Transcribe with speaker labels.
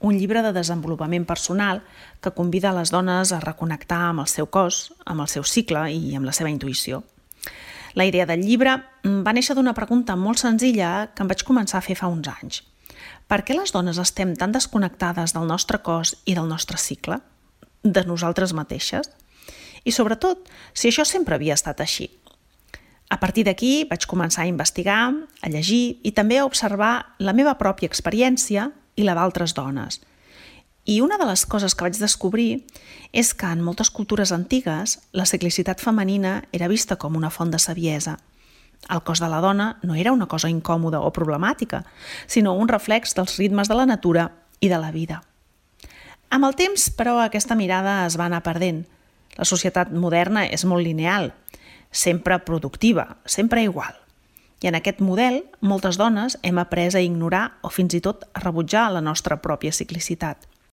Speaker 1: un llibre de desenvolupament personal que convida les dones a reconnectar amb el seu cos, amb el seu cicle i amb la seva intuïció. La idea del llibre va néixer d'una pregunta molt senzilla que em vaig començar a fer fa uns anys. Per què les dones estem tan desconnectades del nostre cos i del nostre cicle? De nosaltres mateixes? I sobretot, si això sempre havia estat així. A partir d'aquí vaig començar a investigar, a llegir i també a observar la meva pròpia experiència i la d'altres dones. I una de les coses que vaig descobrir és que en moltes cultures antigues la ciclicitat femenina era vista com una font de saviesa. El cos de la dona no era una cosa incòmoda o problemàtica, sinó un reflex dels ritmes de la natura i de la vida. Amb el temps, però, aquesta mirada es va anar perdent. La societat moderna és molt lineal, sempre productiva, sempre igual. I en aquest model, moltes dones hem après a ignorar o fins i tot a rebutjar la nostra pròpia ciclicitat.